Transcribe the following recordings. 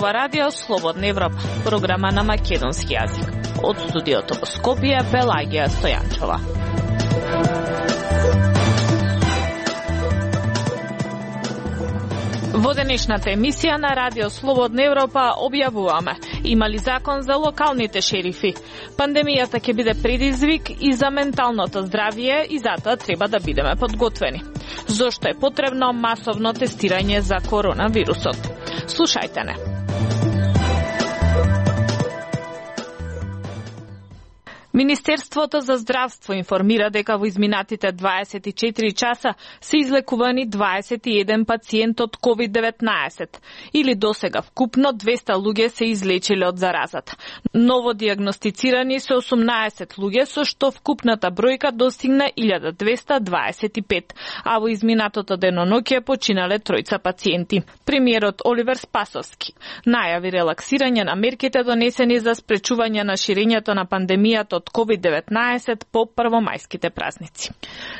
ова радио Слободна Европа, програма на македонски јазик. Од студиото во Скопје, Пелагија Стојанчова. Во денешната емисија на Радио Слободна Европа објавуваме: има ли закон за локалните шерифи? Пандемијата ќе биде предизвик и за менталното здравје и затоа треба да бидеме подготвени. Зошто е потребно масовно тестирање за коронавирусот? Слушајте не. Министерството за здравство информира дека во изминатите 24 часа се излекувани 21 пациент од COVID-19, или досега вкупно 200 луѓе се излечиле од заразата. Ново диагностицирани се 18 луѓе, со што вкупната бројка достигна 1225, а во изминатото деноноќе починале 3 пациенти. Премиерот Оливер Спасовски најави релаксирање на мерките донесени за спречување на ширењето на пандемијата од COVID-19 по првомајските празници.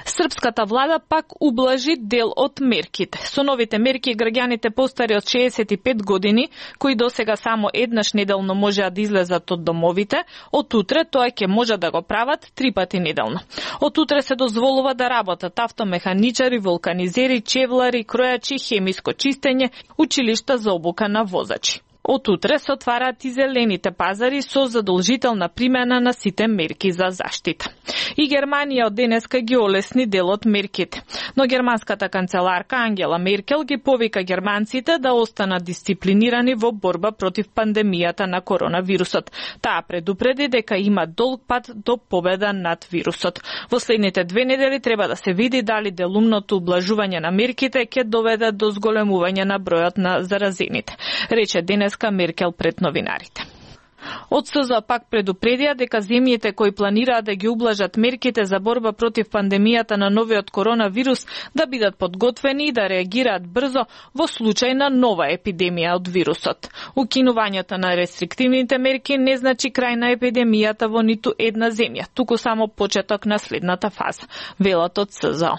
Српската влада пак ублажи дел од мерките. Со новите мерки граѓаните постари од 65 години, кои досега само еднаш неделно можеа да излезат од домовите, од утре тоа ќе може да го прават 3 пати неделно. Од утре се дозволува да работат автомеханичари, вулканизери, чевлари, кројачи, хемиско чистење, училишта за обука на возачи. Од утре се отвараат и зелените пазари со задолжителна примена на сите мерки за заштита. И Германија од денеска ги олесни дел од мерките. Но германската канцеларка Ангела Меркел ги повика германците да останат дисциплинирани во борба против пандемијата на коронавирусот. Таа предупреди дека има долг пат до победа над вирусот. Во следните 2 недели треба да се види дали делумното ублажување на мерките ќе доведе до зголемување на бројот на заразените, рече денеска Меркел пред новинарите. Од СЗО пак предупредија дека земјите кои планираат да ги ублажат мерките за борба против пандемијата на новиот коронавирус да бидат подготвени и да реагираат брзо во случај на нова епидемија од вирусот. Укинувањето на рестриктивните мерки не значи крај на епидемијата во ниту една земја, туку само почеток на следната фаза, велат од СЗО.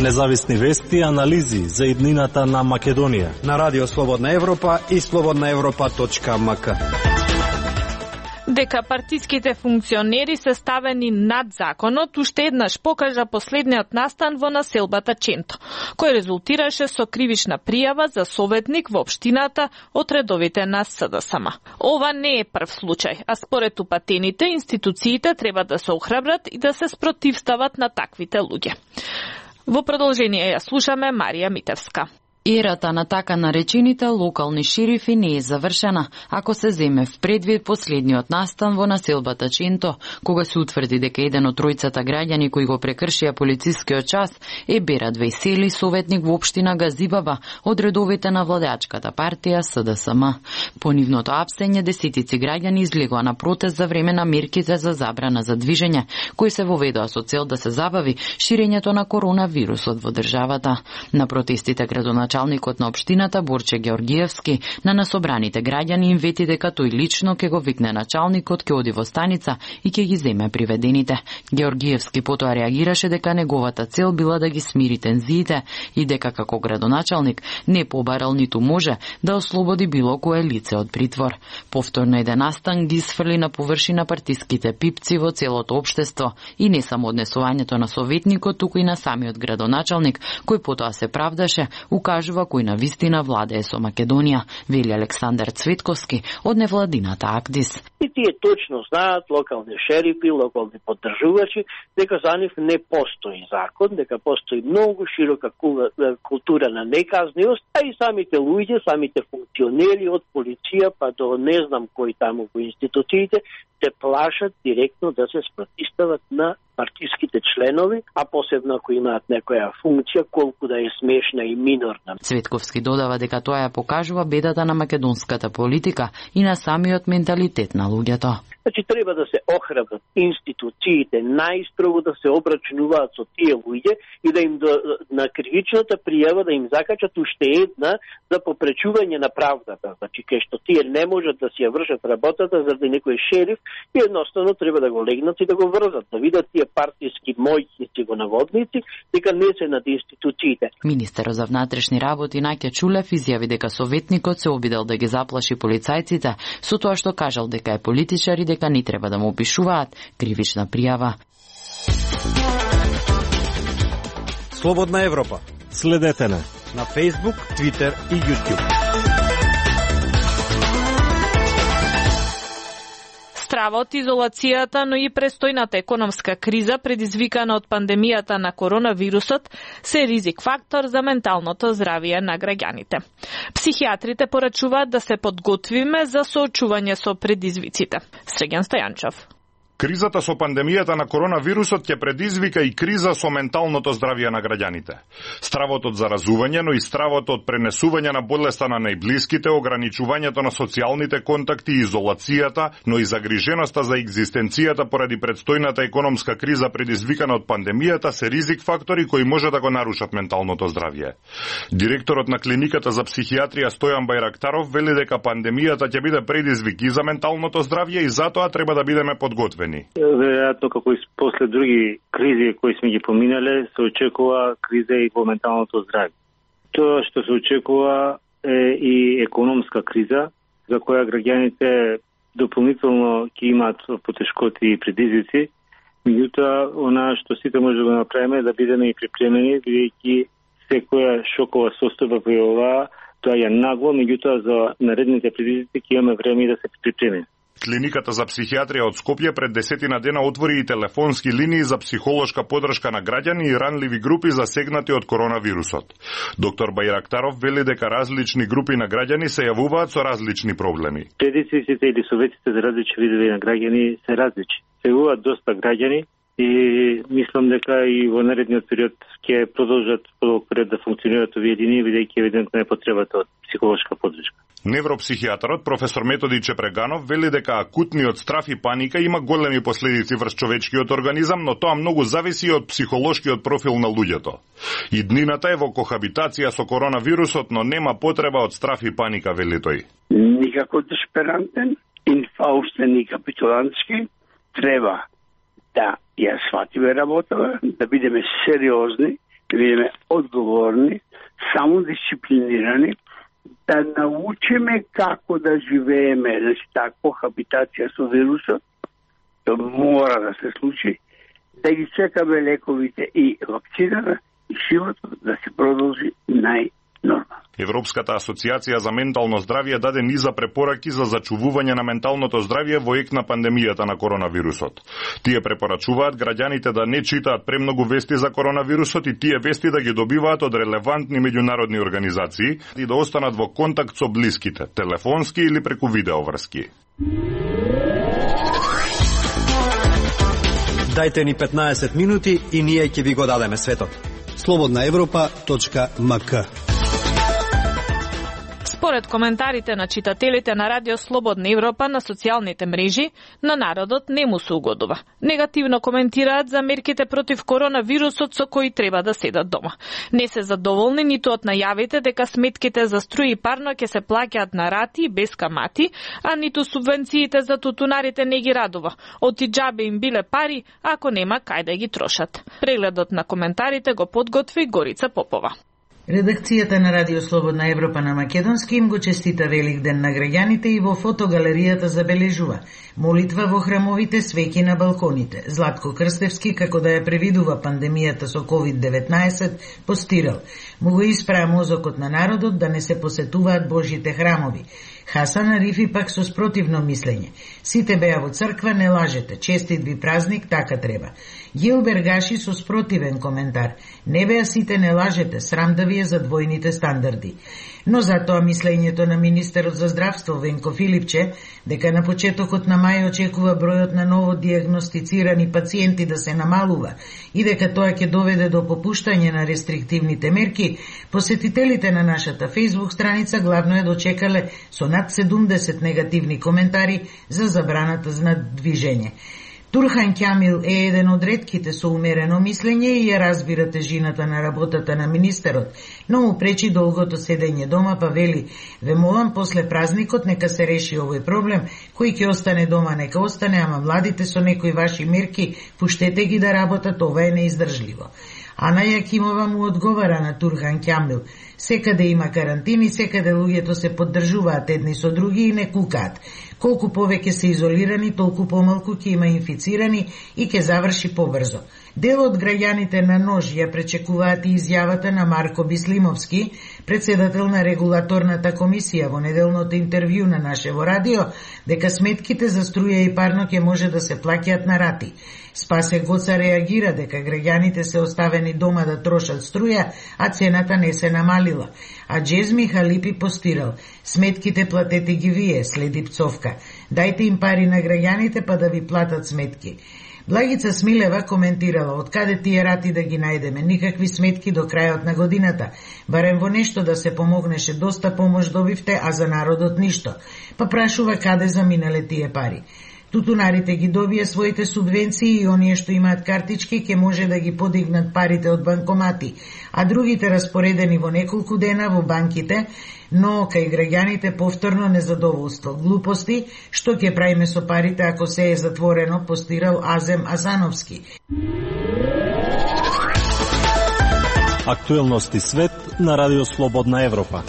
Независни вести и анализи за иднината на Македонија на Радио Слободна Европа и slobodnaevropa.mk. Дека партиските функционери се ставени над законот, уште еднаш покажа последниот настан во населбата Ченто, кој резултираше со кривична пријава за советник во општината од редовите на СДСМ. Ова не е прв случај, а според упатените, институциите треба да се охрабрат и да се спротивстават на таквите луѓе. Во продолжение ја слушаме Марија Митевска. Ерата на така наречените локални шерифи не е завршена, ако се земе в предвид последниот настан во населбата Ченто, кога се утврди дека еден од 3 граѓани кои го прекршија полицискиот час е Берат Весели, советник во општина Газибаба од редовите на владеачката партија СДСМ. По нивното апсење, десетици граѓани излегоа на протест за време на мерките за забрана за движење, кои се воведоа со цел да се забави ширењето на коронавирусот во државата. На протестите градоначалникот на општината Борче Георгиевски на насобраните граѓани им вети дека тој лично ќе го викне началникот, ќе оди во станица и ќе ги земе приведените. Георгиевски потоа реагираше дека неговата цел била да ги смири тензиите и дека како градоначалник не побарал ниту може да ослободи било кое лице од притвор. Повторно еден настан ги сфрли на површина партиските пипци во целото општество и не само однесувањето на советникот, туку и на самиот градоначалник, кој потоа се правдаше, укажува кој на вистина владее со Македонија, вели Александар Цветковски од невладината АКДИС. И тие точно знаат, локални шерифи, локални поддржувачи, дека за нив не постои закон, дека постои многу широка култура на неказниост, а и самите луѓе, самите функционери од полиција па до не знам кои таму во институциите, се плашат директно да се спротивстават на партиските членови, а посебно ако имаат некоја функција, колку да е смешна и минорна. Цветковски додава дека тоа ја покажува бедата на македонската политика и на самиот менталитет на луѓето. Значи, треба да се охрабрат институциите најстрого да се обрачунуваат со тие луѓе и да им на кривичната пријава да им закачат уште една за попречување на правдата. Значи, кај што тие не можат да си ја вршат работата заради некој шериф и едноставно треба да го легнат и да го врзат, да видат тие партиски мојки го наводници, дека не се над институциите. Министерот за внатрешни работи Наќа Чулев изјави дека советникот се обидел да ги заплаши полицајците со тоа што кажал дека е политичар и дека не треба да му пишуваат кривична пријава. Слободна Европа. Следете на Facebook, Twitter и YouTube. Стравот, изолацијата, но и престојната економска криза предизвикана од пандемијата на коронавирусот се ризик фактор за менталното здравје на граѓаните. Психијатрите порачуваат да се подготвиме за соочување со предизвиците. Срегјан Стојанчов. Кризата со пандемијата на коронавирусот ќе предизвика и криза со менталното здравје на граѓаните. Стравот од заразување, но и стравот од пренесување на болеста на најблиските, ограничувањето на социјалните контакти и изолацијата, но и загриженоста за екзистенцијата поради предстојната економска криза предизвикана од пандемијата се ризик фактори кои може да го нарушат менталното здравје. Директорот на клиниката за психијатрија Стојан Бајрактаров вели дека пандемијата ќе биде предизвик и за менталното здравје и затоа треба да бидеме подготвени. Веројатно, како и после други кризи кои сме ги поминале, се очекува криза и во менталното здравје. Тоа што се очекува е и економска криза, за која граѓаните дополнително ќе имаат потешкоти и предизвици. Меѓутоа, она што сите може да го направиме да бидеме и припремени, бидејќи секоја шокова состојба во оваа, тоа е нагло, меѓутоа за наредните предизвици ќе имаме време да се припремени. Клиниката за психијатрија од Скопје пред 10 дена отвори и телефонски линии за психолошка подршка на граѓани и ранливи групи засегнати од коронавирусот. Доктор Бајрактаров вели дека различни групи на граѓани се јавуваат со различни проблеми. Предизвиците или советите за различни видови на граѓани се различни. Се јавуваат доста граѓани и мислам дека и во наредниот период ќе продолжат подолг период да функционираат овие линии, бидејќи евидентно е потребата од психолошка подршка. Невропсихијатарот професор Методи Чепреганов вели дека акутниот страф и паника има големи последици врз човечкиот организам, но тоа многу зависи од психолошкиот профил на луѓето. Иднината е во кохабитација со коронавирусот, но нема потреба од страф и паника, вели тој. Никако десперантен, инфаустен и капитулантски, треба да ја сватиме работава, да бидеме сериозни, да бидеме одговорни, самодисциплинирани, да научиме како да живееме, значи таа кохабитација со вирусот, тоа мора да се случи, да ги чекаме лековите и вакцината и животот да се продолжи најнормално. Европската асоциација за ментално здравје даде низа препораки за зачувување на менталното здравје во ек на пандемијата на коронавирусот. Тие препорачуваат граѓаните да не читаат премногу вести за коронавирусот и тие вести да ги добиваат од релевантни меѓународни организации и да останат во контакт со блиските, телефонски или преку видеоврски. Дајте ни 15 минути и ние ќе ви го дадеме светот. slobodnaevropa.mk. Според коментарите на читателите на Радио Слободна Европа на социјалните мрежи, на народот не му се угодува. Негативно коментираат за мерките против коронавирусот со кои треба да седат дома. Не се задоволни ниту од најавите дека сметките за струја и парно ќе се плаќаат на рати без камати, а ниту субвенциите за тутунарите не ги радува. Оти џабе им биле пари, ако нема кај да ги трошат. Прегледот на коментарите го подготви Горица Попова. Редакцијата на Радио Слободна Европа на македонски им го честита Велик ден на граѓаните и во фотогалеријата забележува молитва во храмовите, свеќи на балконите. Златко Крстевски, како да ја превидува пандемијата со COVID-19, постирал: му го испраа мозокот на народот да не се посетуваат Божите храмови. Хасан Арифи пак со спротивно мислење: сите беа во црква, не лажете, честит ви празник, така треба. Јил Бергаши со спротивен коментар: не беа сите, не лажете, срам да ви лабораторија за двојните стандарди. Но затоа мислењето на министерот за здравство Венко Филипче дека на почетокот на мај очекува бројот на ново дијагностицирани пациенти да се намалува и дека тоа ќе доведе до попуштање на рестриктивните мерки, посетителите на нашата Facebook страница главно е дочекале со над 70 негативни коментари за забраната на движење. Турхан Кјамил е еден од ретките со умерено мислење и ја разбира тежината на работата на министерот, но му пречи долгото седење дома, па вели: "Ве молам после празникот нека се реши овој проблем, кој ќе остане дома нека остане, ама младите со некои ваши мерки пуштете ги да работат, ова е неиздржливо." Ана Јакимова му одговара на Турхан Кјамил: "Секаде има карантини, секаде луѓето се поддржуваат едни со други и не кукаат. Колку повеќе се изолирани, толку помалку ќе има инфицирани и ќе заврши побрзо." Дел од граѓаните на нож ја пречекуваат и изјавата на Марко Бислимовски, председател на регулаторната комисија, во неделното интервју на нашево радио, дека сметките за струја и парно ќе може да се плаќаат на рати. Спасе Гоца реагира дека граѓаните се оставени дома да трошат струја, а цената не се намалила. А Джезми Халипи постирал: "Сметките платете ги вие", следи пцовка. "Дајте им пари на граѓаните па да ви платат сметки." Благица Смилева коментирала: "Откаде тие рати да ги најдеме? Никакви сметки до крајот на годината. Барем во нешто да се помогнеше, доста помош добивте, а за народот ништо." Па прашува каде заминале тие пари. Тутунарите ги добија своите субвенции и оние што имаат картички ќе може да ги подигнат парите од банкомати, а другите распоредени во неколку дена во банките, но кај граѓаните повторно незадоволство. Глупости, што ќе правиме со парите ако се е затворено, постирал Азем Азановски. Актуелности свет на Радио Слободна Европа.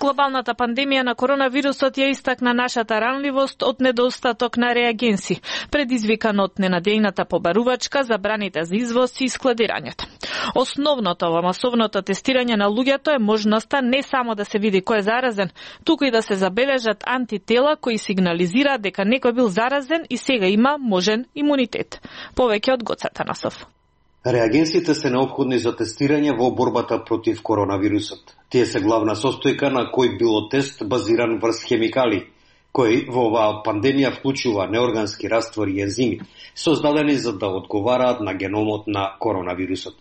Глобалната пандемија на коронавирусот ја истакна нашата ранливост од недостаток на реагенси, предизвикан од ненадејната побарувачка, забраните за извоз и складирањето. Основното во масовното тестирање на луѓето е можноста не само да се види кој е заразен, туку и да се забележат антитела кои сигнализираат дека некој бил заразен и сега има можен имунитет. Повеќе од Гоца Танасов. Реагенсите се неопходни за тестирање во борбата против коронавирусот. Тие се главна состојка на кој било тест базиран врз хемикали, кои во оваа пандемија вклучува неоргански раствори и ензими, создадени за да одговараат на геномот на коронавирусот.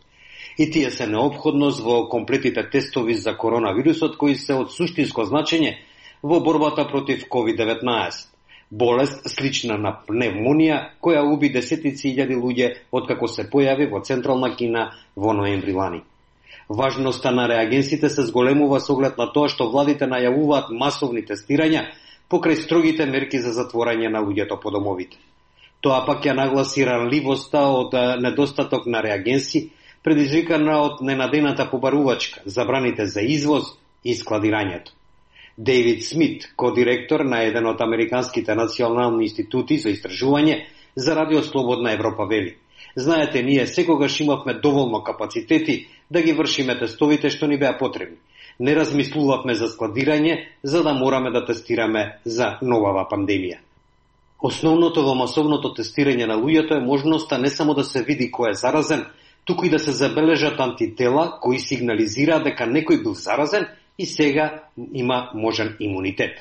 И тие се неопходност во комплетите тестови за коронавирусот кои се од суштинско значење во борбата против COVID-19. Болест слична на пневмонија, која уби десетици илјади луѓе откако се појави во Централна Кина во ноември лани. Важноста на реагенсите се зголемува со оглед на тоа што владите најавуваат масовни тестирања покрај строгите мерки за затворање на луѓето по домовите. Тоа пак ја нагласи ранливоста од недостаток на реагенси, предизвикана од ненадејната побарувачка, забраните за извоз и складирањето. Дейвид Смит, кодиректор на еден од американските национални институти за истражување за Радио Слободна Европа вели: "Знаете, ние секогаш имавме доволно капацитети да ги вршиме тестовите што ни беа потребни. Не размислувавме за складирање, за да мораме да тестираме за новава пандемија." Основното во масовното тестирање на луѓето е можноста не само да се види кој е заразен, туку и да се забележат антитела кои сигнализираат дека некој бил заразен и сега има можен имунитет.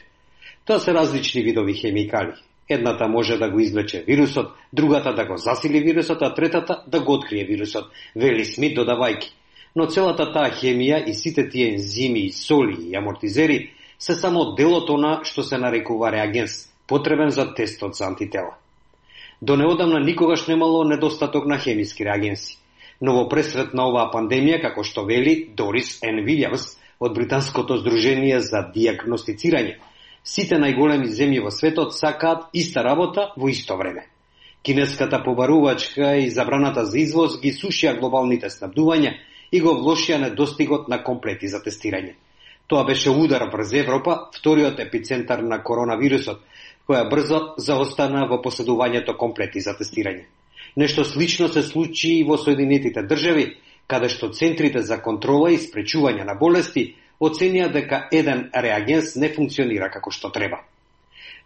Тоа се различни видови хемикали. Едната може да го извлече вирусот, другата да го засили вирусот, а третата да го открие вирусот, вели Смит додавајки. Но целата таа хемија и сите тие ензими, соли и амортизери се само дел од она што се нарекува реагенс, потребен за тестот за антитела. До неодамна никогаш немало недостаток на хемиски реагенси. Но во пресрет на оваа пандемија, како што вели Дорис Н. Вилјамс од Британското здружение за дијагностицирање, сите најголеми земји во светот сакаат иста работа во исто време. Кинеската побарувачка и забраната за извоз ги сушија глобалните снабдувања и го влошија недостигот на комплети за тестирање. Тоа беше удар врз Европа, вториот епицентар на коронавирусот, која брзо заостана во поседувањето комплети за тестирање. Нешто слично се случи и во Соединетите држави, каде што центрите за контрола и спречување на болести оценија дека еден реагенс не функционира како што треба.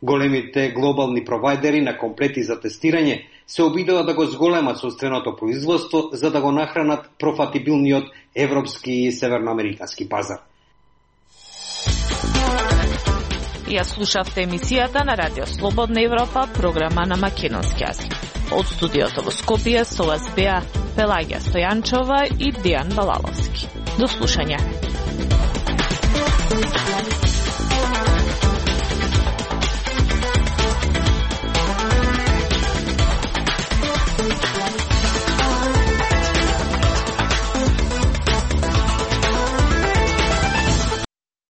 Големите глобални провайдери на комплети за тестирање се обидува да го зголемат сопственото производство за да го нахранат профатибилниот европски и северноамерикански пазар. Ја слушавте емисијата на Радио Слободна Европа, програма на македонски јазик. Од студиото во Скопје со вас беа Пелагија Стојанчова и Дијан Балаловски. До слушање.